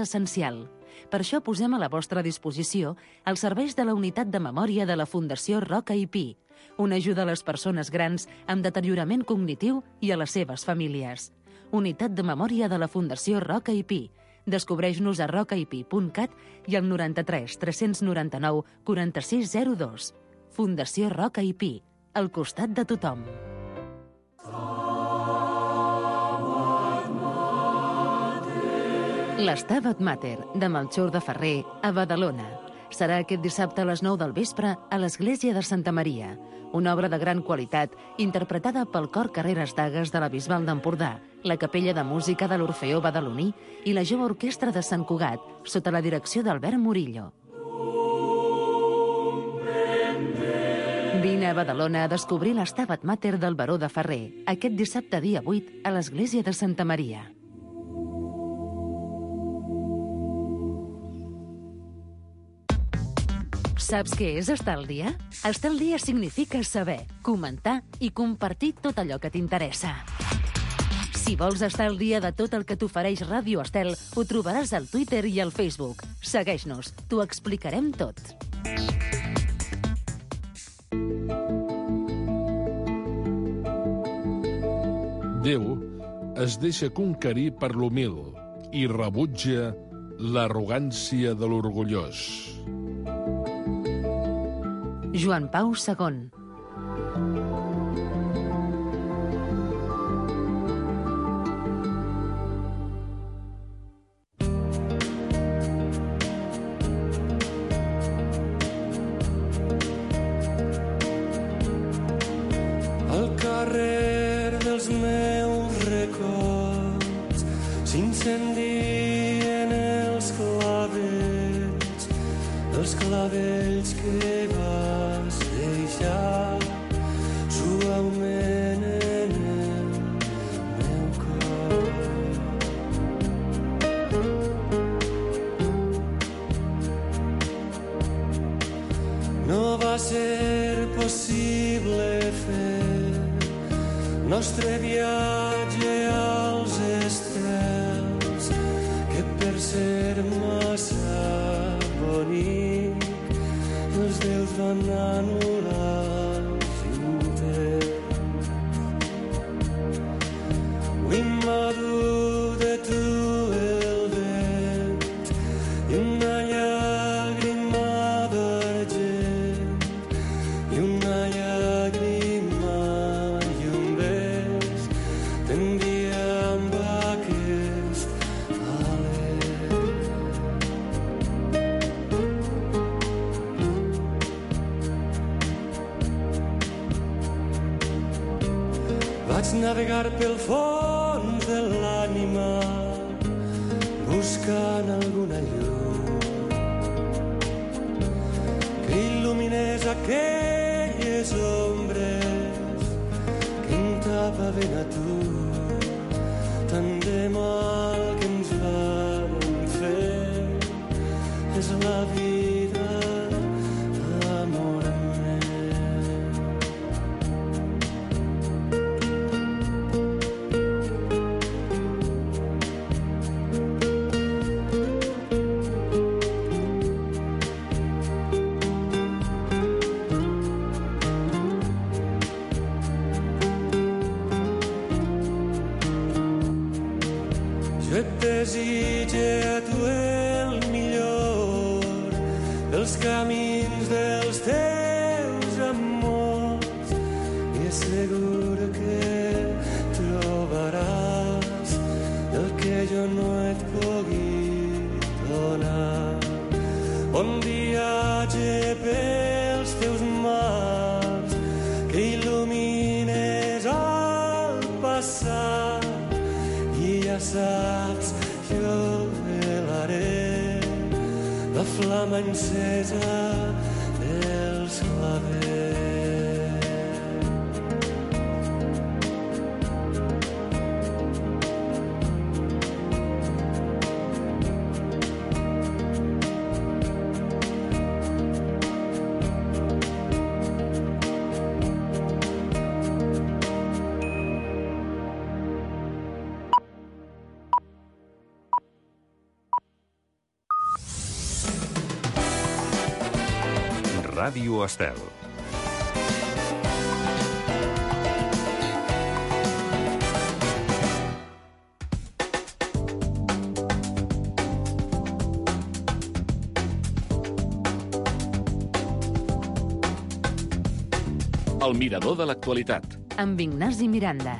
essencial. Per això posem a la vostra disposició els serveis de la unitat de memòria de la Fundació Roca i Pi, una ajuda a les persones grans amb deteriorament cognitiu i a les seves famílies. Unitat de memòria de la Fundació Roca i Pi. Descobreix-nos a rocaipi.cat i al 93 399 4602. Fundació Roca i Pi, al costat de tothom. L'Stabat Mater, de Melchor de Ferrer, a Badalona. Serà aquest dissabte a les 9 del vespre a l'Església de Santa Maria, una obra de gran qualitat interpretada pel Cor Carreres Dagues de la Bisbal d'Empordà, la Capella de Música de l'Orfeó Badaloní i la Jove Orquestra de Sant Cugat, sota la direcció d'Albert Murillo. Vine a Badalona a descobrir l'Stabat Mater del Baró de Ferrer, aquest dissabte dia 8 a l'Església de Santa Maria. Saps què és estar al dia? Estar al dia significa saber, comentar i compartir tot allò que t'interessa. Si vols estar al dia de tot el que t'ofereix Ràdio Estel, ho trobaràs al Twitter i al Facebook. Segueix-nos, t'ho explicarem tot. Déu es deixa conquerir per l'humil i rebutja l'arrogància de l'orgullós. Joan Pau II. Al carrer dels meus records s'incendien els clavells que vas deixar suaument en el meu cor. No va ser possible fer nostre viatge als estels, que per ser massa bonic els déus van anul·lar l'intent. Avui m'ha dut de tu el vent i una llàgrima d'argent i una llàgrima i un bes t'envia amb aquest alè. Vaig navegar pel fons de l'ànima buscant alguna llum que il·luminés aquelles ombres que em tapaven a tu. Tant de mal que ens van fer és la vida, amor meu. Jo et desitge a tu el millor dels camins dels teus amors i és segur que trobaràs el que jo no et pugui donar. Bon viatge pels teus mars que il·lumines el passat i ja saps, jo velaré la flama encesa dels clavells. Ràdio Estel. El mirador de l'actualitat. Amb Ignasi Miranda.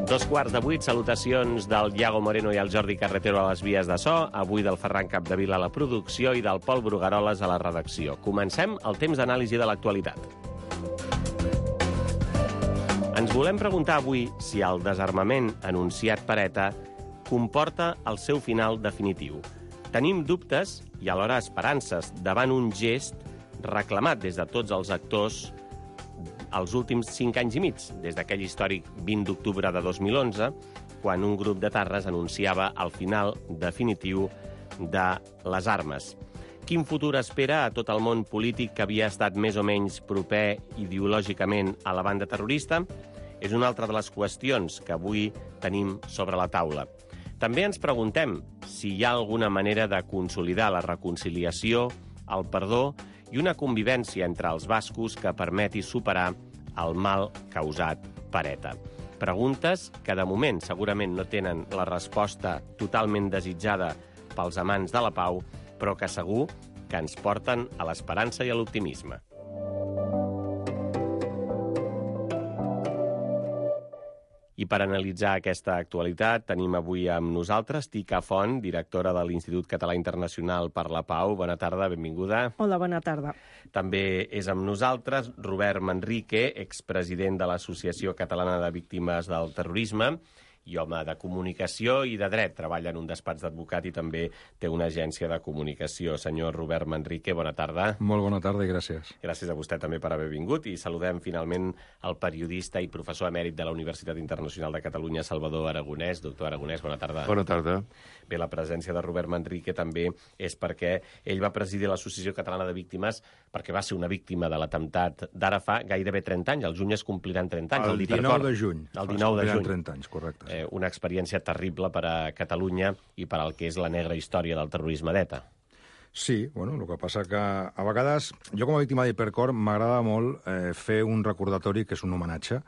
Dos quarts de 8, salutacions del Iago Moreno i el Jordi Carretero a les vies de so, avui del Ferran Capdevila a la producció i del Pol Brugaroles a la redacció. Comencem el temps d'anàlisi de l'actualitat. Ens volem preguntar avui si el desarmament anunciat per ETA comporta el seu final definitiu. Tenim dubtes i alhora esperances davant un gest reclamat des de tots els actors els últims 5 anys i mig, des d'aquell històric 20 d'octubre de 2011, quan un grup d'etarres anunciava el final definitiu de les armes. Quin futur espera a tot el món polític que havia estat més o menys proper ideològicament a la banda terrorista? És una altra de les qüestions que avui tenim sobre la taula. També ens preguntem si hi ha alguna manera de consolidar la reconciliació, el perdó i una convivència entre els bascos que permeti superar el mal causat per ETA. Preguntes que, de moment, segurament no tenen la resposta totalment desitjada pels amants de la pau, però que segur que ens porten a l'esperança i a l'optimisme. I per analitzar aquesta actualitat tenim avui amb nosaltres Tica Font, directora de l'Institut Català Internacional per la Pau. Bona tarda, benvinguda. Hola, bona tarda. També és amb nosaltres Robert Manrique, expresident de l'Associació Catalana de Víctimes del Terrorisme i home de comunicació i de dret. Treballa en un despatx d'advocat i també té una agència de comunicació. Senyor Robert Manrique, bona tarda. Molt bona tarda i gràcies. Gràcies a vostè també per haver vingut i saludem finalment el periodista i professor emèrit de la Universitat Internacional de Catalunya, Salvador Aragonès. Doctor Aragonès, bona tarda. Bona tarda. Bé, la presència de Robert Manrique també és perquè ell va presidir l'Associació Catalana de Víctimes perquè va ser una víctima de l'atemptat d'ara fa gairebé 30 anys. Al juny es compliran 30 anys. El 19 de juny. El 19 de juny. 30 anys, correcte. Una experiència terrible per a Catalunya i per al que és la negra història del terrorisme d'ETA. Sí, bueno, el que passa que a vegades, jo com a víctima d'Hipercor m'agrada molt fer un recordatori que és un homenatge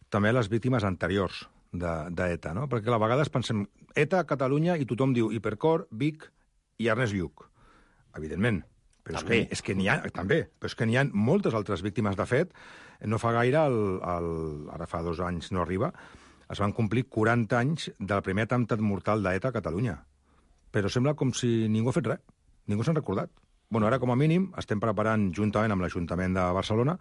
també a les víctimes anteriors d'ETA, no? Perquè a vegades pensem ETA, Catalunya, i tothom diu Hipercor, Vic i Ernest Lluch. Evidentment. Però és que n'hi ha, també, però és que n'hi ha moltes altres víctimes. De fet, no fa gaire, ara fa 2 anys no arriba, es van complir 40 anys del primer atemptat mortal d'ETA a Catalunya. Però sembla com si ningú ha fet res. Ningú s'han recordat. Bueno, ara, com a mínim, estem preparant, juntament amb l'Ajuntament de Barcelona,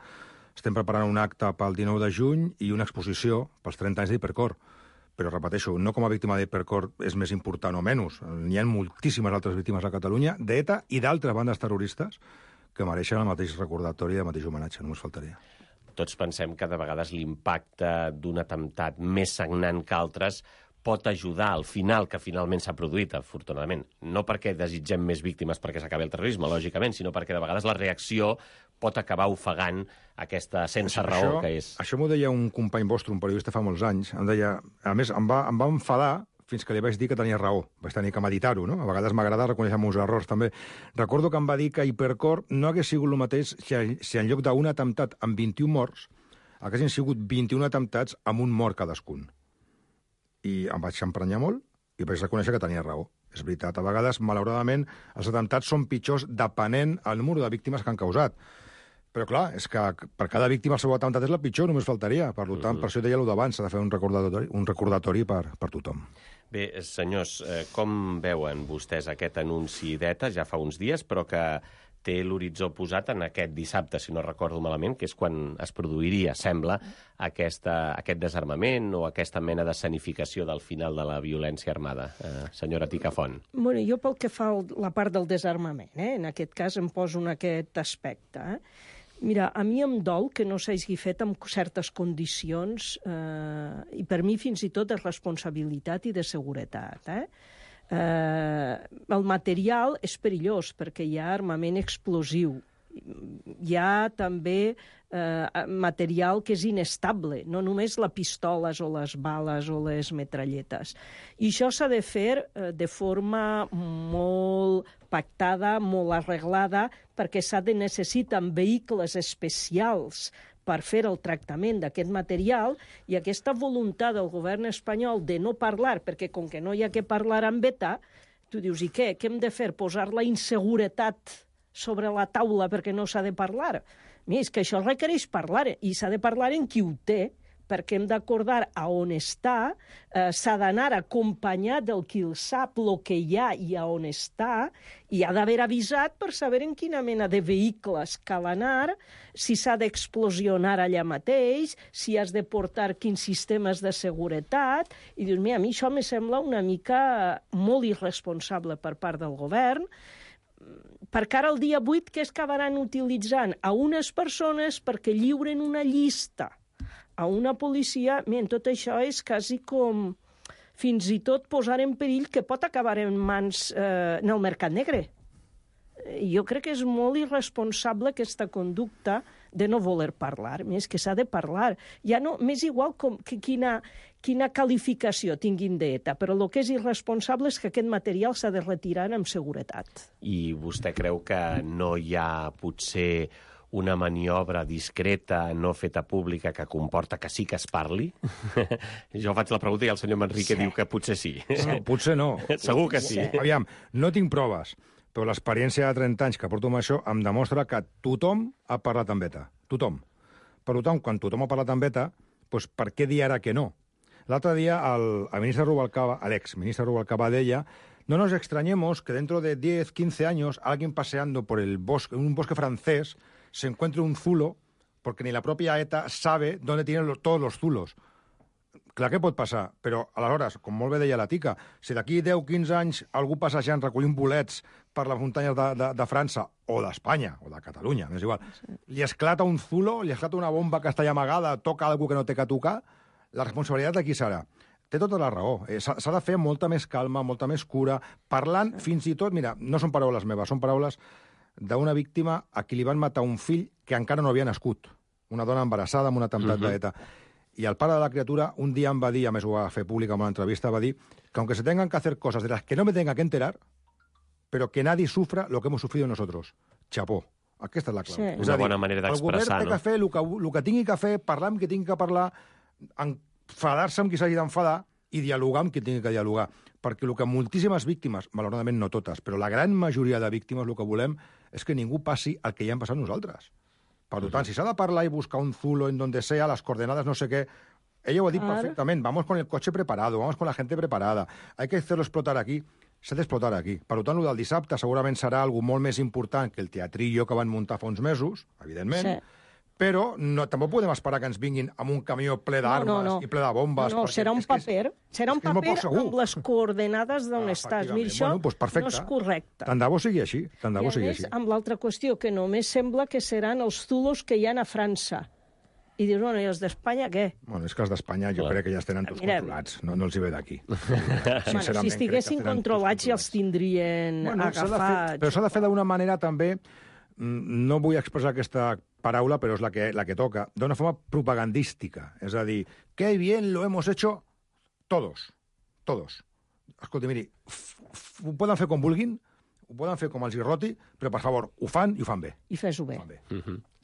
estem preparant un acte pel 19 de juny i una exposició pels 30 anys d'Hipercor. Però, repeteixo, no com a víctima d'Hipercor és més important o menys. N'hi ha moltíssimes altres víctimes a Catalunya, d'ETA i d'altres bandes terroristes, que mereixen el mateix recordatori i el mateix homenatge, només faltaria. Tots pensem que de vegades l'impacte d'un atemptat més sagnant que altres pot ajudar al final que finalment s'ha produït, afortunadament. No perquè desitgem més víctimes perquè s'acabi el terrorisme, lògicament, sinó perquè de vegades la reacció pot acabar ofegant aquesta sense raó que és. Això m'ho deia un company vostre, un periodista fa molts anys. Em deia, a més, em va enfadar fins que li vaig dir que tenia raó. Vaig tenir que meditar-ho, no? A vegades m'agrada reconèixer els meus errors, també. Recordo que em va dir que Hipercor no hagués sigut el mateix si en lloc d'un atemptat amb 21 morts haguessin sigut 21 atemptats amb un mort cadascun. I em vaig emprenyar molt i vaig reconèixer que tenia raó. És veritat, a vegades, malauradament, els atemptats són pitjors depenent del número de víctimes que han causat. Però, clar, és que per cada víctima el seu atemptat és la pitjor, només faltaria. Per tant, per això deia allò d'abans, s'ha de fer un recordatori per tothom. Bé, senyors, com veuen vostès aquest anunci d'ETA? Ja fa uns dies, però que té l'horitzó posat en aquest dissabte, si no recordo malament, que és quan es produiria, sembla, aquest desarmament o aquesta mena d'escenificació del final de la violència armada. Senyora Tica Font. Bueno, jo pel que fa la part del desarmament, en aquest cas em poso en aquest aspecte. Mira, a mi em dol que no s'hagi fet amb certes condicions i per mi fins i tot de responsabilitat i de seguretat. El material és perillós perquè hi ha armament explosiu Hi ha també material que és inestable, no només les pistoles o les bales o les metralletes. I això s'ha de fer de forma molt pactada, molt arreglada, perquè necessiten vehicles especials per fer el tractament d'aquest material, i aquesta voluntat del govern espanyol de no parlar, perquè com que no hi ha que parlar amb ETA, tu dius, i què? Què hem de fer? Posar la inseguretat sobre la taula perquè no s'ha de parlar? Mira, és que això requereix parlar, i s'ha de parlar en qui ho té, perquè hem d'acordar a on està, s'ha d'anar acompanyat del qui el sap, el que hi ha i a on està, i ha d'haver avisat per saber en quina mena de vehicles cal anar, si s'ha d'explosionar allà mateix, si has de portar quins sistemes de seguretat, i dius, mira, a mi això me sembla una mica molt irresponsable per part del govern, perquè ara el dia 8 que es acabaran utilitzant a unes persones perquè lliuren una llista a una policia, miren, tot això és quasi com fins i tot posar en perill que pot acabar en mans en el mercat negre. Jo crec que és molt irresponsable aquesta conducta de no voler parlar. És que s'ha de parlar. Ja no, m'és igual que quina qualificació tinguin d'ETA, però el que és irresponsable és que aquest material s'ha de retirar amb seguretat. I vostè creu que no hi ha potser una maniobra discreta, no feta pública, que comporta que sí que es parli? Jo faig la pregunta i el senyor Manrique diu que potser sí. No, potser no. Segur que sí. Aviam, no tinc proves, però l'experiència de 30 anys que porto amb això em demostra que tothom ha parlat amb ETA. Tothom. Per tant, quan tothom ha parlat amb ETA, doncs per què dir ara que no? L'altre dia el ministre Rubalcaba, l'ex-ministre Rubalcaba, deia: no nos extrañemos que dentro de 10, 15 años alguien paseando por el bosque, un bosque francés, se encuentre un zulo, porque ni la propia ETA sabe dónde tienen todos los zulos. Clar que pot passar, però aleshores, com molt bé deia la Tica, si d'aquí 10-15 anys algú passejant recollint bolets per les muntanyes de França, o d'Espanya, o de Catalunya, m'és igual, li esclata un zulo, li esclata una bomba que està allà amagada, toca algú que no té que tocar, la responsabilitat de qui serà? Té tota la raó. S'ha de fer molta més calma, molta més cura, parlant fins i tot, mira, no són paraules meves, són paraules d'una víctima a qui li van matar un fill que encara no havia nascut. Una dona embarassada amb un atemptat d'ETA. I el pare de la criatura un dia em va dir, a més ho va fer públic en una entrevista, va dir que aunque se tengan que hacer cosas de las que no me tenga que enterar, pero que nadie sufra lo que hemos sufrido nosotros. Chapó. Aquesta és la clau. Sí. Una bona manera d'expressar, no? El govern té que fer el que tingui que fer, parlar amb qui tingui que parlar, enfadar-se amb qui s'hagi d'enfadar i dialogar amb qui tingui que dialogar. Perquè el que moltíssimes víctimes, malauradament no totes, però la gran majoria de víctimes el que volem és que ningú passi el que ja hem passat nosaltres. Per tant, si s'ha de parlar i buscar un zulo en donde sea, las coordenadas, no sé qué, ella ho ha dit perfectament, vamos con el coche preparado, vamos con la gente preparada, hay que hacerlo explotar aquí, s'ha d'explotar aquí. Per tant, el del dissabte segurament serà algo molt més important que el teatrillo que van muntar fa uns mesos, evidentment, però tampoc podem esperar que ens vinguin amb un camió ple d'armes i ple de bombes. No, serà un paper, amb les coordenades d'on estàs. Mira, això no és correcte. Tant de bo sigui així, tant de bo sigui així. I a més, amb l'altra qüestió, que només sembla que seran els zulos que hi ha a França. I dius, bueno, i els d'Espanya, què? Bueno, és que els d'Espanya jo crec que ja els tenen tots controlats, no els hi ve d'aquí. Si estiguessin controlats ja els tindrien agafats. Però s'ha de fer d'una manera també, no vull expressar aquesta paraula, però és la que toca, d'una forma propagandística. És a dir, que bien lo hemos hecho todos. Escolta, miri, ho poden fer com vulguin, ho poden fer com els hi roti, però, per favor, ho fan i ho fan bé. I fes-ho bé.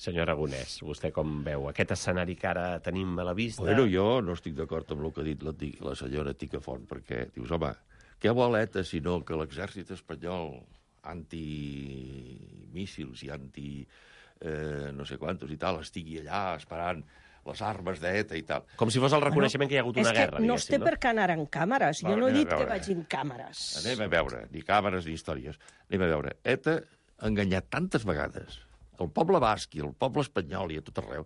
Senyor Aragonès, vostè com veu aquest escenari que ara tenim a la vista? Bueno, jo no estic d'acord amb el que ha dit la senyora Ticafont, perquè dius, home, què vol ETA sinó que l'exèrcit espanyol antimíssils i no sé quantos i tal, estigui allà esperant les armes d'ETA i tal. Com si fos el reconeixement que hi ha hagut una guerra, diguéssim. No es té per què anar en càmeres. Jo no he dit que vagin càmeres. Anem a veure, ni càmeres ni històries. Anem a veure. ETA ha enganyat tantes vegades el poble basc i el poble espanyol i a tot arreu,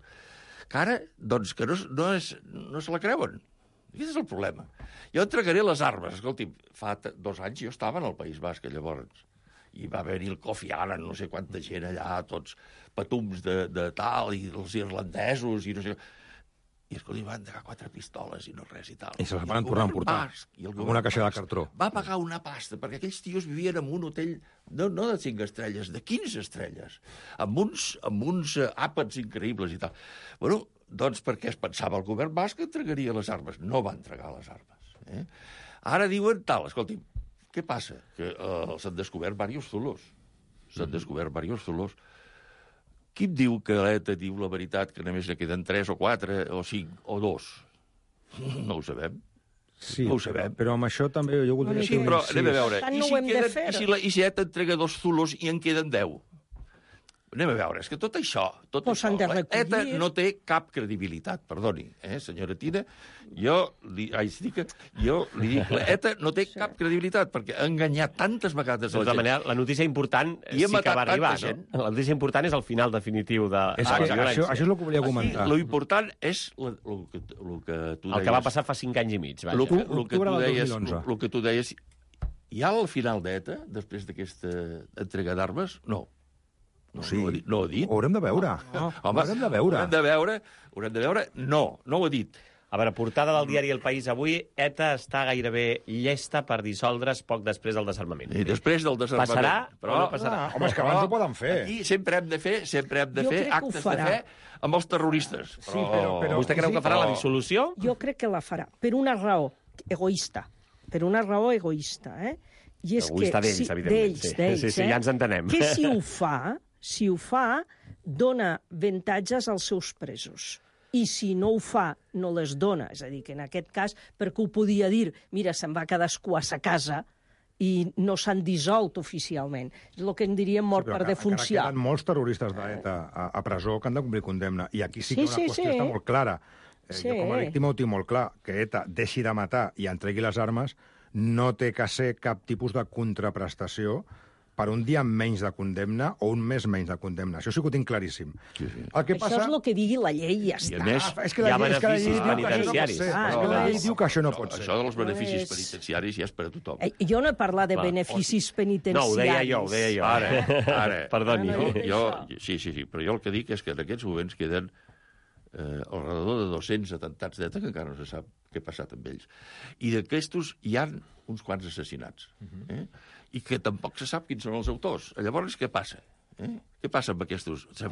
que ara, doncs, que no se la creuen. Aquest és el problema. Jo entregaré les armes. Escolti, fa 2 anys jo estava en el País Basc, llavors, i va haver-hi el Kofi Annan, no sé quanta gent allà, tots patums de tal, i els irlandesos, i no sé... I, escolta, van entregar 4 pistoles i no res i tal. I se les van tornar a emportar, amb una caixa de cartró. Va pagar una pasta, perquè aquells tios vivien en un hotel, no de 5 estrelles, de 15 estrelles, amb uns àpats increïbles i tal. Bueno, doncs perquè es pensava el govern basc que entregaria les armes. No va entregar les armes. Ara diuen tal, escolti'm, què passa? Que s'han descobert diversos zulos. Qui em diu que l'ETA diu la veritat, que només ne queden 3 o 4 o 5 o 2? No ho sabem. Sí, no ho sabem. Però amb això també jo voldria... Sí, però anem a veure. No ho hem de fer. I si ETA entrega 2 zulos i en queden 10? Anem a veure, és que tot això... ETA no té cap credibilitat, perdoni, senyora Tina. Jo li dic, ETA no té cap credibilitat, perquè ha enganyat tantes vegades a la gent. Manera, la notícia important sí que va arribar, no? La notícia important és el final definitiu de la violència. Això és el que volia comentar. Lo important és el que tu deies. El que va passar fa 5 anys i mig. El que tu deies... Hi ha el final d'ETA, després d'aquesta entrega d'armes? No. No ho ha dit. Ho haurem de veure. Haurem de veure. No ho ha dit. A veure, portada del diari El País avui, ETA està gairebé llesta per dissoldre's poc després del desarmament. I després del desarmament. Passarà, però no passarà. Home, és que abans ho poden fer. Aquí sempre hem de fer actes de fe amb els terroristes. Sí, però vostè creu que farà la dissolució? Jo crec que la farà, per una raó egoista. I és egoista d'ells, evidentment. D'ells, sí, ja ens entenem. Que si ho fa, dona avantatges als seus presos. I si no ho fa, no les dona. És a dir, que en aquest cas, perquè ho podia dir, mira, se'n va cadascú a sa casa i no s'han dissolt oficialment. És el que en diríem mort per defunció. Queden molts terroristes d'ETA a presó que han de complir condemna. I aquí sí que una qüestió està molt clara. Jo com a víctima ho tinc molt clar, que ETA deixi de matar i entregui les armes no té que ser cap tipus de contraprestació per un dia menys de condemna o un mes menys de condemna. Això sí que ho tinc claríssim. Sí. Això és el que digui la llei i ja està. I a més, hi ha beneficis penitenciaris. La llei diu que això no pot ser. Això dels beneficis penitenciaris ja és per a tothom. Jo no he parlat de beneficis penitenciaris. No, ho deia jo. Ara. Perdoni. Sí, però jo el que dic és que en aquests moments queden alrededor de 200 atentats d'ETA que encara no se sap què ha passat amb ells. I d'aquestos hi ha uns quants assassinats. I que tampoc se sap quins són els autors. Llavors, què passa? Què passa amb aquestos? S'ha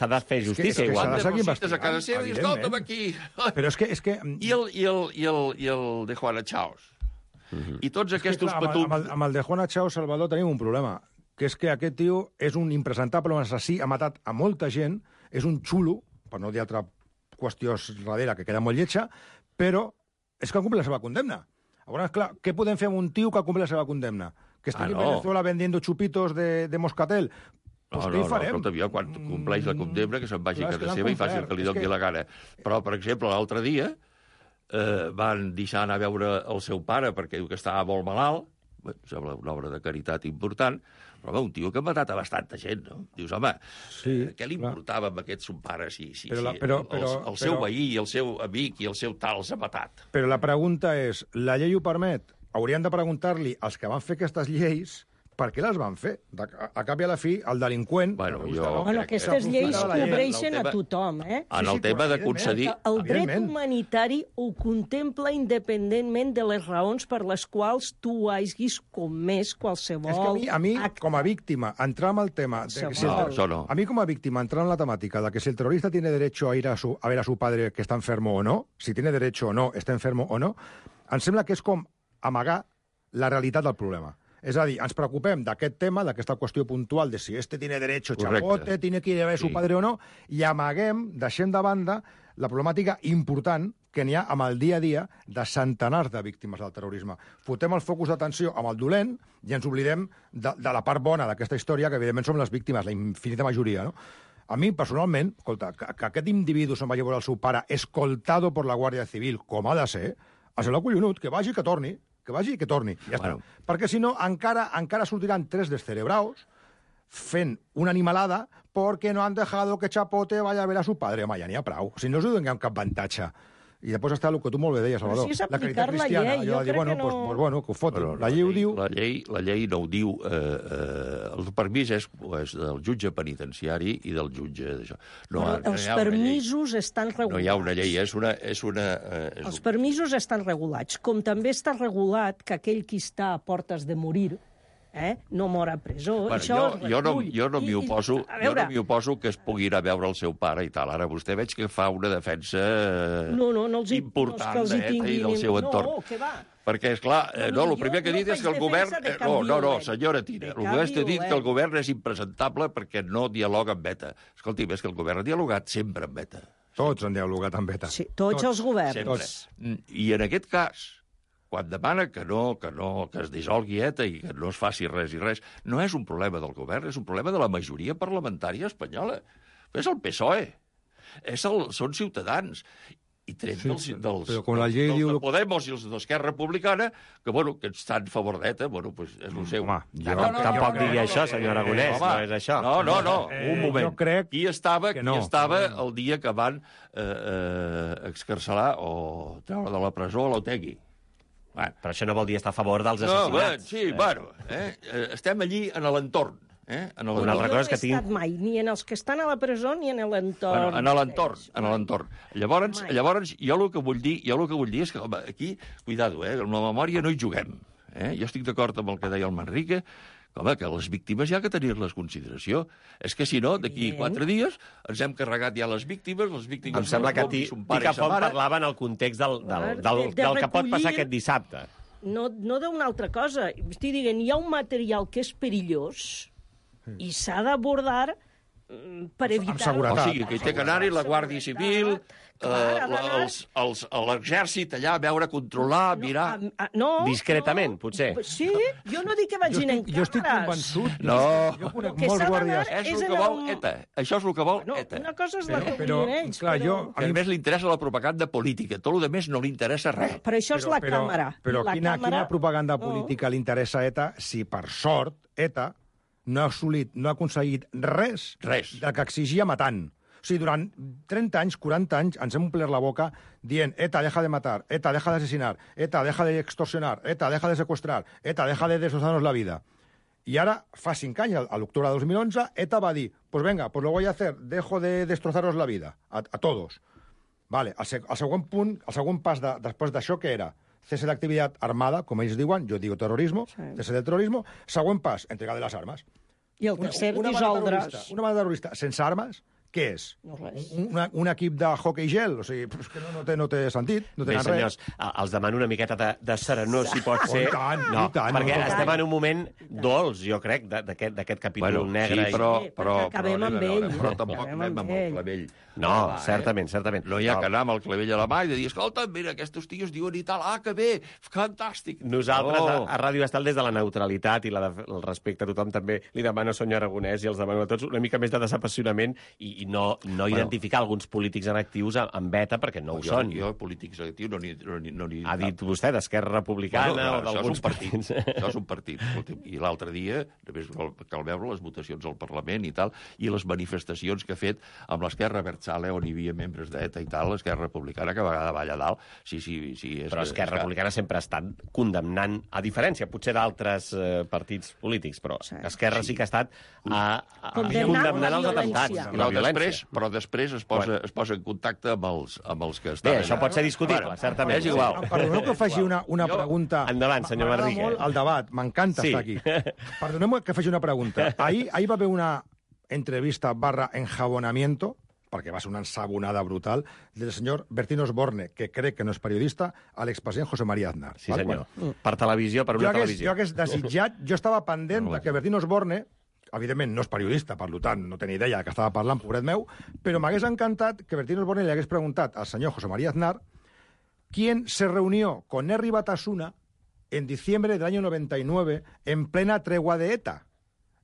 de fer justícia, igual. S'ha de seguir investigant. A casa seva i escolta'm aquí. Però és que... I el de Juana Chaos. I tots aquests petums... Amb el de Juana Chaos, Salvador, tenim un problema, que és que aquest tio és un impresentable, un assassí, ha matat a molta gent, és un xulo, per no dir altra qüestió darrere, que queda molt lletja, però és que ha complert la seva condemna. Llavors, clar, què podem fer amb un tio que ha complert la seva condemna? Que estigui en Venezuela vendiendo chupitos de moscatel? Pues què hi farem? Escolta, jo, quan compleix la condemna, que se'n vagi a casa seva i faci el que li doni la gana. Però, per exemple, l'altre dia van deixar anar a veure el seu pare perquè diu que estava molt malalt, sembla una obra de caritat important, però un tio que ha matat a bastanta gent, no? Dius, home, què li importava amb aquest son pare si el seu veí i el seu amic i el seu tal s'ha matat? Però la pregunta és, la llei ho permet? Hauríem de preguntar-li als que van fer aquestes lleis per què les van fer? A cap i a la fi, el delinqüent... Aquestes lleis cobreixen a tothom, En el tema de concedir... El dret humanitari ho contempla independentment de les raons per les quals tu hagis comès qualsevol... És que a mi com a víctima, entrar en el tema... A mi com a víctima, entrar en la temàtica de que si el terrorista tiene derecho a ir a ver a su padre que está enfermo o no, si tiene derecho o no, está enfermo o no, em sembla que és com amagar la realitat del problema. És a dir, ens preocupem d'aquest tema, d'aquesta qüestió puntual de si este tiene derecho, chapote, tiene que ir a ver su padre o no, i amaguem, deixem de banda, la problemàtica important que n'hi ha amb el dia a dia de centenars de víctimes del terrorisme. Fotem el focus d'atenció amb el dolent i ens oblidem de la part bona d'aquesta història, que evidentment som les víctimes, la infinita majoria, no? A mi, personalment, escolta, que aquest individu se'n vagi a veure el seu pare escoltado por la Guàrdia Civil, com ha de ser, ha semblat collonut, que vagi i que torni. Que vagi i que torni, ja està. Perquè si no, encara sortiran 3 descerebraos fent una animalada perquè no han dejado que Chapote vaya a ver a su padre. Home, ja n'hi ha prou. Si no us donem cap avantatge. I després està el que tu molt bé deies, Salvador. Però si és la caritat aplicar la cristiana. llei, Allò jo de dir, crec bueno, que no- pues, bueno, que ho fotin. Però La llei ho diu... La llei no ho diu. El permís és del jutge penitenciari i del jutge d'això. Els permisos estan regulats. No hi ha una llei, és una Els permisos estan regulats, com també està regulat que aquell qui està a portes de morir no mor a presó. Bueno, jo no m'hi oposo, jo no m'hi oposo que es pugui anar a veure el seu pare i tal. Ara vostè veig que fa una defensa important d'ETA i del seu entorn. No, què va? Perquè, esclar, el primer que he dit és que el govern... No, senyora Tina, el govern t'ha dit que el govern és impresentable perquè no dialoga amb ETA. Escolti'm, és que el govern ha dialogat sempre amb ETA. Tots han dialogat amb ETA. Sí, tots els governs. Sempre. I en aquest cas, quan demana que es dissolgui ETA i que no es faci res i res, no és un problema del govern, és un problema de la majoria parlamentària espanyola. És el PSOE. Són Ciutadans. I tret dels de Podemos i els d'Esquerra Republicana, que estan a favor d'ETA, és el seu. Tampoc digui això, senyor Aragonès, no és això. No, un moment. Jo crec qui estava el dia que van excarcelar o treure de la presó a l'Otegi? Però això no vol dir estar a favor dels assassinats. Estem allí en l'entorn. Una altra cosa que tinc... No he estat mai, ni en els que estan a la presó ni en l'entorn. En l'entorn. Llavors, jo el que vull dir és que, home, aquí, cuidado, amb la memòria no hi juguem. Jo estic d'acord amb el que deia el Manrique, que les víctimes hi ha que tenir-les en consideració. És que, si no, d'aquí 4 dies ens hem carregat ja les víctimes Em sembla que Ticafont parlava en el context del que pot passar aquest dissabte. No d'una altra cosa. Estic dient, hi ha un material que és perillós i s'ha d'abordar per evitar... Amb seguretat. O sigui, que hi té que anar-hi la Guàrdia Civil, l'exèrcit allà a veure, controlar, mirar... Discretament, potser. Sí, jo no dic que vagin en càmeres. Jo estic convençut. No. Jo conec molts guàrdies. És el que vol ETA. Això és el que vol ETA. Una cosa és la que volen ells, clar, a mi més li interessa la propaganda política. Tot el més no li interessa res. Per això és la càmera. Però quina propaganda política li interessa a ETA si, per sort, ETA no ha aconseguit res del que exigia matant. O sigui, durant 30 anys, 40 anys, ens hem omplert la boca dient ETA, deja de matar, ETA, deja de asesinar, ETA, deja de extorsionar, ETA, deja de secuestrar, ETA, deja de destrozarnos la vida. I ara, fa 5 anys, a l'octubre de 2011, ETA va dir, pues venga, pues lo voy a hacer, dejo de destrozaros la vida, a todos. Vale, el següent punt, el següent pas després d'això, què era? Cese d'activitat armada, com ells diuen, jo digo terrorismo, cese del terrorismo, següent pas, entrega de les armes. I el tercer, dissoldre's. Una banda terrorista sense armes, què és? No res. Un equip de hockey gel? O sigui, és que no té sentit, no tenen res. Bé, senyors, els demano una miqueta de serenor, si pot ser. I tant, perquè estem en un moment dolç, jo crec, d'aquest capítol negre. Sí, però acabem amb ell. Però tampoc anem amb el clavell. No, certament. No hi ha que anar amb el clavell a la mà i de dir, escolta, mira, aquests tios diuen i tal, que bé, fantàstic. Nosaltres, a Ràdio Estel, des de la neutralitat i el respecte a tothom, també li demano, senyor Aragonès, i els demano a tots una mica més de desapassionament i no identificar alguns polítics en actius amb ETA, perquè no ho són. Jo, polítics en actius, no n'hi... Ha dit vostè d'Esquerra Republicana o d'alguns partits. Això és un partit. I l'altre dia, només cal veure les votacions al Parlament i tal, i les manifestacions que ha fet amb l'Esquerra Abertzale, on hi havia membres d'ETA i tal, l'Esquerra Republicana, que a vegades va allà dalt. Sí, però Esquerra Republicana sempre ha estat condemnant, a diferència, potser d'altres partits polítics, però Esquerra sí que ha estat condemnant els atemptats i la violència. Però després es posa en contacte amb els que estan... Bé, això pot ser discutible, certament. És igual. Perdoneu que faci una pregunta... Endavant, senyor Manrique. El debat, m'encanta estar aquí. Perdoneu que faci una pregunta. Ahir va haver una entrevista / enjabonamiento, perquè va ser una ensabonada brutal, del senyor Bertín Osborne, que crec que no és periodista, a l'expresident José María Aznar. Sí, senyor. Per televisió, per una televisió. Jo hagués desitjat, jo estava pendent que Bertín Osborne, evidentment no és periodista, per tant, no tenia idea que estava parlant, pobret meu, però m'hagués encantat que Bertín Osborne li hagués preguntat al senyor José María Aznar quién se reunió con Herri Batasuna en diciembre del año 99 en plena tregua de ETA.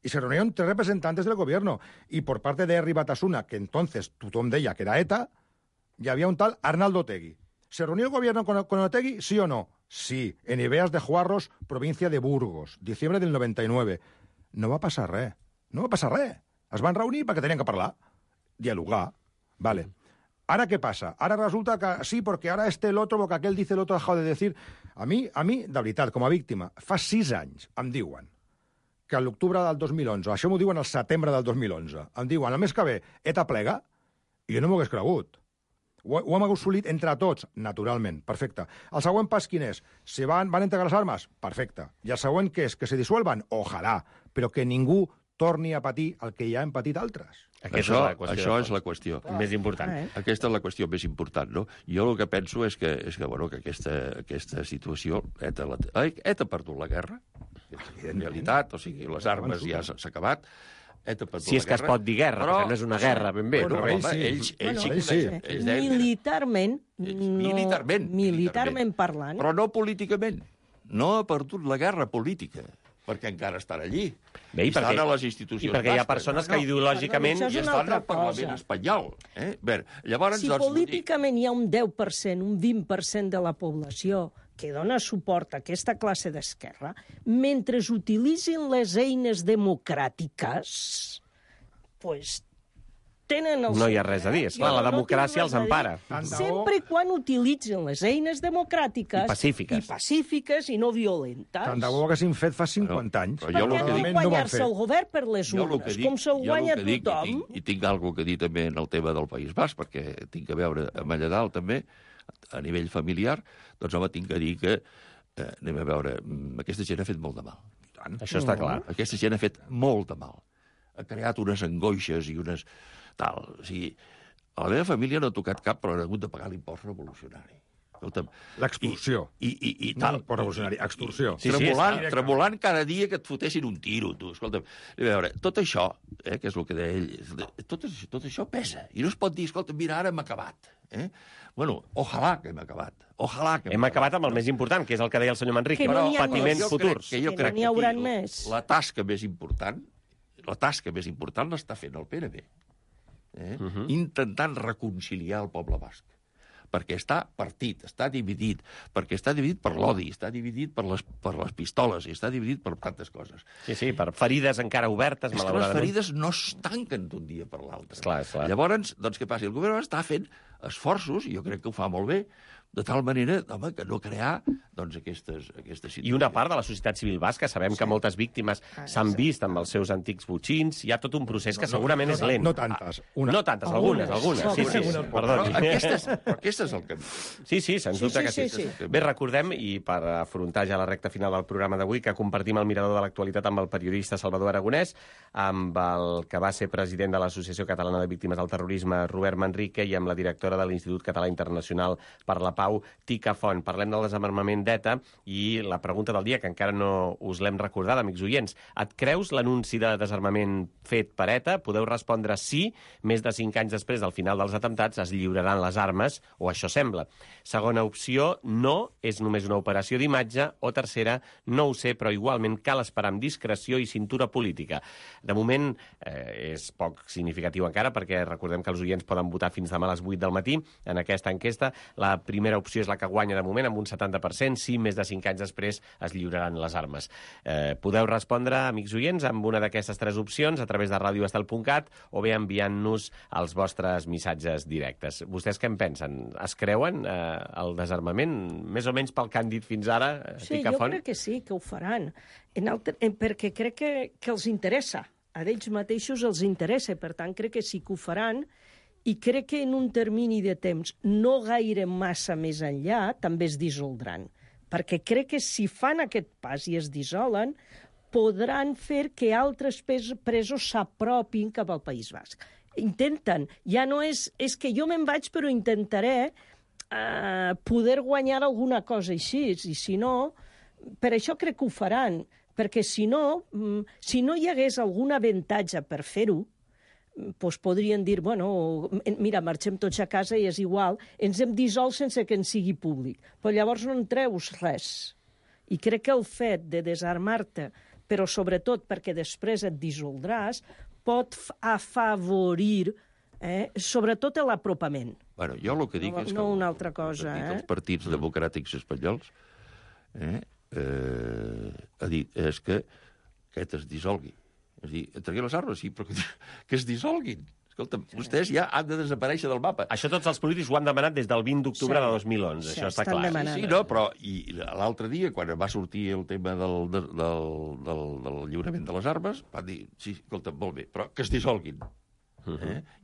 Y se reunieron 3 representantes del gobierno. Y por parte de Herri Batasuna, que entonces tothom deia que era ETA, y había un tal Arnaldo Otegi. ¿Se reunió el gobierno con Otegi, sí o no? Sí, en Ibeas de Juarros, provincia de Burgos, diciembre del 99. No va passar res. No va passar res. Es van reunir perquè tenien que parlar. Dialogar. Vale. ¿Ahora qué pasa? Ahora resulta que sí, porque ahora el otro, porque aquel dice, el otro ha dejado de decir... A mi, de veritat, com a víctima, fa 6 anys em diuen que a l'octubre del 2011, això m'ho diuen al setembre del 2011, em diuen, el mes que ve, ETA plega, i jo no m'ho hagués cregut. Ho hem assolit entre tots, naturalment, perfecte. El següent pas quin és? Si van entregar les armes? Perfecte. I el següent què és? Que se disuelvan? Ojalà, però que ningú torni a patir el que ja hem patit altres. Això és la qüestió. Més important. Aquesta és la qüestió més important, no? Jo el que penso és que aquesta situació... ETA ha perdut la guerra, en realitat, o sigui, les armes ja s'ha acabat. Si és que es pot dir guerra, perquè no és una guerra, ben bé. Militarment parlant. Però no políticament. No ha perdut la guerra política, perquè encara estan allí. Bé, estan a les institucions. I perquè hi ha persones que ideològicament... I estan al Parlament espanyol. Si políticament hi ha un 10%, un 20% de la població que dona suport a aquesta classe d'esquerra, mentre utilitzin les eines democràtiques, doncs tenen el... No hi ha res a dir, esclar, la democràcia els empara. Sempre quan utilitzen les eines democràtiques... I pacífiques i no violentes. Tant de bo haguessin fet fa 50 anys. Perquè no guanyar-se el govern per les urnes, com se'l guanya tothom... I tinc alguna cosa a dir també en el tema del País Basc, perquè tinc a veure amb allà dalt també, a nivell familiar, doncs home, tinc a dir que, anem a veure, aquesta gent ha fet molt de mal. Això està clar. Aquesta gent ha fet molt de mal. Ha creat unes angoixes i unes... tal. O sigui, a la meva família no ha tocat cap, però han hagut de pagar l'impost revolucionari. L'extorsió. I tal. No revolucionari, extorsió. Tremolant cada dia que et fotessin un tiro, tu. Escolta'm, a veure, tot això, que és el que deia ell, tot això pesa. I no es pot dir, escolta, mira, ara hem acabat. Bueno, ojalà que hem acabat. Hem acabat amb el més important, que és el que deia el senyor Manrique, però patiments futurs. Que no n'hi haurà més. La tasca més important l'està fent el PNB. Intentant reconciliar el poble basc. Perquè està partit, està dividit, perquè està dividit per l'odi, està dividit per les pistoles, i està dividit per tantes coses. Sí, per ferides encara obertes, malauradament. Les ferides no es tanquen d'un dia per l'altre. Clar. Llavors, doncs, què passa? El govern està fent esforços, i jo crec que ho fa molt bé, de tal manera, home, que no crear doncs, aquestes situacions. I una part de la societat civil basca, sabem que moltes víctimes s'han vist amb els seus antics botxins, hi ha tot un procés que segurament és lent. No tantes. No tantes, algunes. Sí, perdó. Aquest és el camí. Sí, sens dubte que sí. Bé, recordem, i per afrontar ja la recta final del programa d'avui, que compartim el mirador de l'actualitat amb el periodista Salvador Aragonès, amb el que va ser president de l'Associació Catalana de Víctimes del Terrorisme, Robert Manrique, i amb la directora de l'Institut Català Internacional per la Pau, Tica Font. Parlem del desarmament d'ETA i la pregunta del dia, que encara no us l'hem recordada, amics oients. Et creus l'anunci de desarmament fet per ETA? Podeu respondre sí. Més de 5 anys després del final dels atemptats es lliuraran les armes, o això sembla. Segona opció, no, és només una operació d'imatge. O tercera, no ho sé, però igualment cal esperar amb discreció i cintura política. De moment és poc significatiu encara, perquè recordem que els oients poden votar fins demà a les 8 del matí en aquesta enquesta. La primera opció és la que guanya de moment, amb un 70%. Sí, més de 5 anys després es lliuraran les armes. Podeu respondre, amics oients, amb una d'aquestes 3 opcions a través de radioestel.cat o bé enviant-nos els vostres missatges directes. Vostès què en pensen? Es creuen el desarmament? Més o menys pel que han dit fins ara? Sí, jo crec que sí, que ho faran. Perquè crec que els interessa. A ells mateixos els interessa, per tant, crec que sí que ho faran. I crec que en un termini de temps no gaire massa més enllà també es dissoldran. Perquè crec que si fan aquest pas i es dissolen, podran fer que altres presos s'apropin cap al País Basc. Intenten. Ja no és que jo me'n vaig, però intentaré poder guanyar alguna cosa així. I si no, per això crec que ho faran. Perquè si no hi hagués algun avantatge per fer-ho, doncs podrien dir, bueno, mira, marxem tots a casa i és igual, ens hem dissolt sense que en sigui públic. Però llavors no en treus res. I crec que el fet de desarmar-te, però sobretot perquè després et dissoldràs, pot afavorir sobretot l'apropament. Bueno, jo el que dic és que una altra cosa, els partits democràtics espanyols ha dit és que aquest es dissolgui. És a dir, entreguin les armes, sí, però que es dissolguin, Escolta, vostès ja han de desaparèixer del mapa. Això tots els polítics ho han demanat des del 20 d'octubre de 2011, Sí, això està estan clar. demanant. Sí, no, però i l'altre dia, quan va sortir el tema del lliurament de les armes, van dir, sí, escolta, molt bé, però que es dissolguin.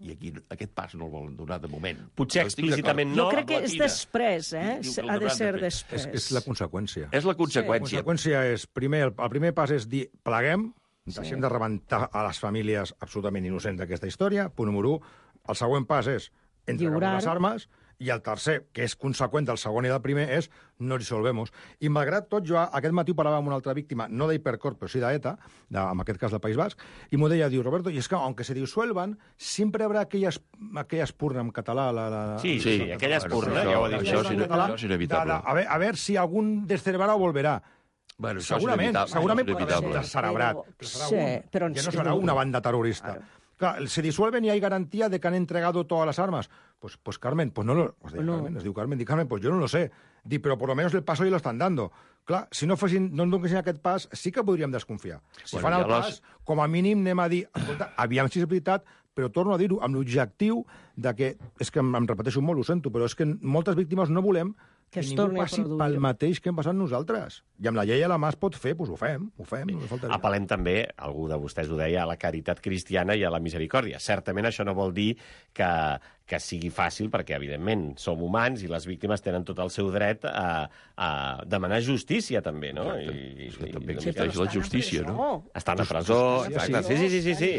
I aquí aquest pas no el volen donar de moment. Potser Jo estic explícitament Jo no. crec que és després, Diu que el ha de hauran ser de fer. després. És la conseqüència. És la La conseqüència. conseqüència és, el primer pas és dir, pleguem, deixem de rebentar a les famílies absolutament innocents d'aquesta història, punt número 1. El següent pas és entregar Lliurar. les armes, i el tercer, que és conseqüent del segon i del primer, és no dissolvemos. I malgrat tot, jo aquest matí parlava amb una altra víctima, no d'Hipercor, però sí d'ETA, en aquest cas del País Basc, i m'ho deia, diu, Roberto, y es que aunque se disuelvan, siempre habrá aquella espurna en català. Sí, aquella espurna, això- ja ho ha dit. això és inevitable. A ver si algún descerebrado volverá. Bueno, això Segurament, és segurament inevitable. pot ser descerebrat. Sí, però Ja no serà una banda terrorista. Claro, se disuelven y hay garantía de que han entregado todas las armas. Pues Carmen, pues no lo... Carmen, es diu Carmen, pues yo no lo sé. Dic, però por lo menos el paso ya lo están dando. Clar, si no en donessin aquest pas, sí que podríem desconfiar. Si fan el pas, com a mínim anem a dir, escolta, aviam si és veritat, però torno a dir-ho amb l'objectiu de que, és que em repeteixo molt, ho sento, però és que moltes víctimes no volem que es ningú torni a passi produir. pel mateix que hem passat nosaltres. I amb la llei a la mà es pot fer, doncs ho fem, no faltaria. Apel·lem també, algú de vostès ho deia, a la caritat cristiana i a la misericòrdia. Certament això no vol dir que sigui fàcil, perquè, evidentment, som humans i les víctimes tenen tot el seu dret a demanar justícia, també, no? I també Sí, existeix però la justícia, estan a no? presó. Estan a presó, exacte. Sí.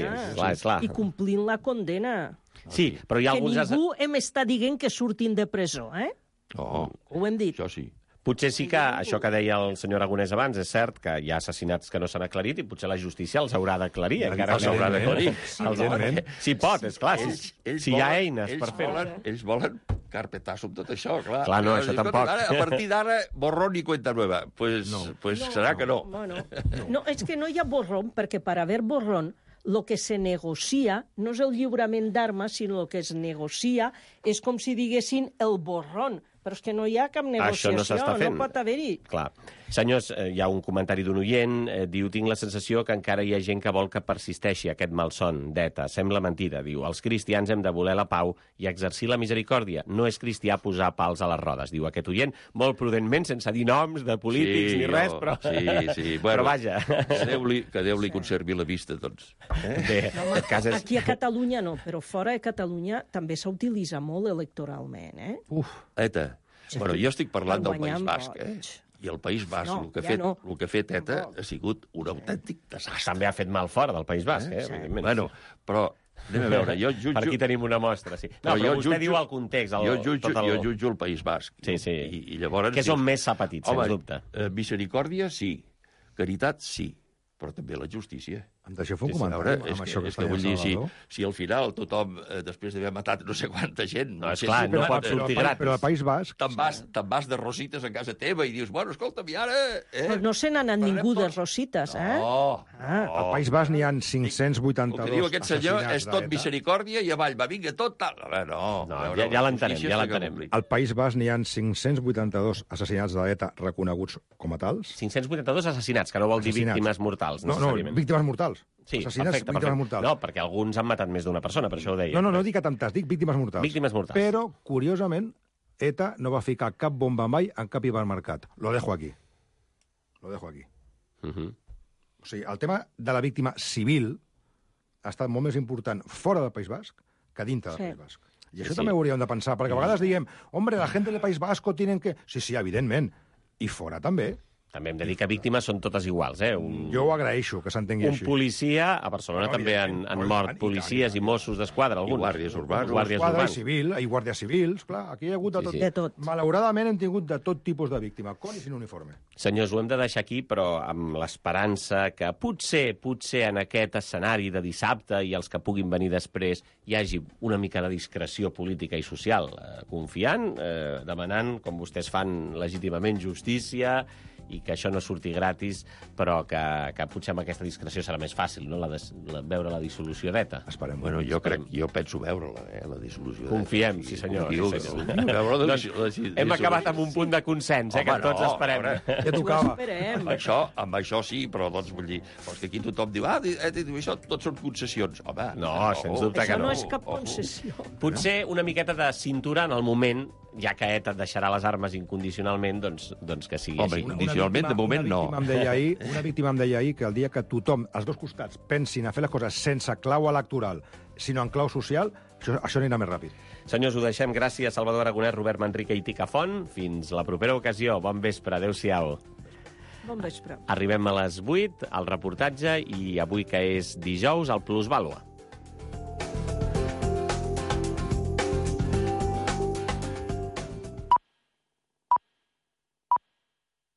És clar. I complint la condena. Sí, però hi ha Que alguns... ningú em està dient que surtin de presó, eh? Oh, Ho hem dit. això sí. Potser sí que això que deia el senyor Aragonès abans, és cert que hi ha assassinats que no s'han aclarit i potser la justícia els haurà d'aclarir. Encara Els haurà d'aclarir. Si pot, esclar. Si hi ha eines per fer-ho. Ells volen carpetazo amb tot això, clar. Clar, no, això Escolta, tampoc. Ara, a partir d'ara, borrón i cuenta nueva. Pues serà que no. No, és que no hi ha borrón, perquè per haver borrón lo que se negocia no és el lliurament d'armes, sinó el que es negocia és com si diguessin el borrón. Però és que no hi ha cap negociació, Això no s'està fent. no pot haver-hi. Clar. Senyors, hi ha un comentari d'un oient, diu, tinc la sensació que encara hi ha gent que vol que persisteixi aquest malson d'ETA. Sembla mentida, diu, els cristians hem de voler la pau i exercir la misericòrdia. No és cristià posar pals a les rodes, diu aquest oient, molt prudentment, sense dir noms de polítics ni res, però... Sí. Però vaja. Que Déu li conservi la vista, doncs. Bé, en aquest cas és... Aquí a Catalunya no, però fora de Catalunya també s'utilitza molt electoralment, eh? ETA. Bueno, jo estic parlant del Guanyant País Basc, vots. I el País Basc, No, el que ja no. el que ha fet ETA ha sigut un autèntic desastre. També ha fet mal fora del País Basc, evidentment. Bueno, però anem a veure, jo jutjo... Per aquí tenim una mostra, sí. No, Però però jo vostè jutjo- diu el context. Jo jutjo el País Basc. Sí. I llavors... Que és on més s'ha patit, sens dubte. Misericòrdia, sí. Caritat, sí. Però també la justícia. Em deixeu fer un A comentari veure, amb això que és està que vull dir, Salvador? si al final tothom, després d'haver matat no sé quanta gent... No, esclar, no pot sortir gratis. Però al País Basc... Te'n vas de rosites a casa teva i dius, bueno, escolta'm, i ara... Però no se n'ha anat ningú de rosites, eh? No, Al País Basc n'hi ha 582 el que diu aquest senyor assassinats és tot d'ETA. misericòrdia i avall, va, vinga, tot tal. A veure, no. No, a veure, ja la l'entenem, justícia ja s'ha de l'entenem. complir. Al País Basc n'hi ha 582 assassinats d'ETA reconeguts com a tals. 582 assassinats, que no vol dir Assassinats. víctimes mortals, No, necessàriament. víctimes mortals. Sí, Assassinats, perfecte. víctimes mortals. No, perquè alguns han matat més d'una persona, per això ho deia. No dic atemptats, dic víctimes mortals. Víctimes mortals. Però, curiosament, ETA no va ficar cap bomba mai en cap hipermercat. Lo dejo aquí. O sigui, el tema de la víctima civil ha estat molt més important fora del País Basc que dintre del Sí. País Basc. I això Sí. també ho hauríem de pensar, perquè a vegades diem, hombre, la gent del País Basco tienen que... Sí, evidentment. I fora també. També hem de dir que víctimes són totes iguals, eh? Jo ho agraeixo, que s'entengui Un així. policia, a Barcelona No, també han evidentment. mort I tant, policies i Mossos d'Esquadra, alguns. guàrdies urbans. Guàrdies Quadra i urbans. civil, i guàrdies civils, clar, aquí hi ha hagut de tot. Sí. De tot. Malauradament hem tingut de tot tipus de víctima, con i sin uniforme. Senyors, ho hem de deixar aquí, però amb l'esperança que potser en aquest escenari de dissabte i els que puguin venir després hi hagi una mica de discreció política i social, confiant, demanant, com vostès fan legítimament, justícia i que això no surti gratis, però que potser amb aquesta discreció serà més fàcil, no?, veure la dissolució d'ETA. Esperem. Bueno, jo penso veure-la, la dissolució. Confiem, sí senyor. Hem acabat amb un punt de consens, que tots esperem. Ja tocava. Amb això sí, però doncs vull dir, que aquí tothom diu, això tot són concessions. Home, no, sens dubte que no. Això no és cap concessió. Potser una miqueta de cintura en el moment, ja que ETA deixarà les armes incondicionalment, doncs que sigui així. Incondicionalment, de moment, no. Una víctima em deia ahir que el dia que tothom, els dos costats, pensin a fer les coses sense clau electoral, sinó en clau social, això anirà més ràpid. Senyors, ho deixem. Gràcies, Salvador Aragonès, Robert Manrique i Tica Font. Fins la propera ocasió. Bon vespre. Adéu-siau. Bon vespre. Arribem a les 8, al reportatge, i avui, que és dijous, el Plusvàlua.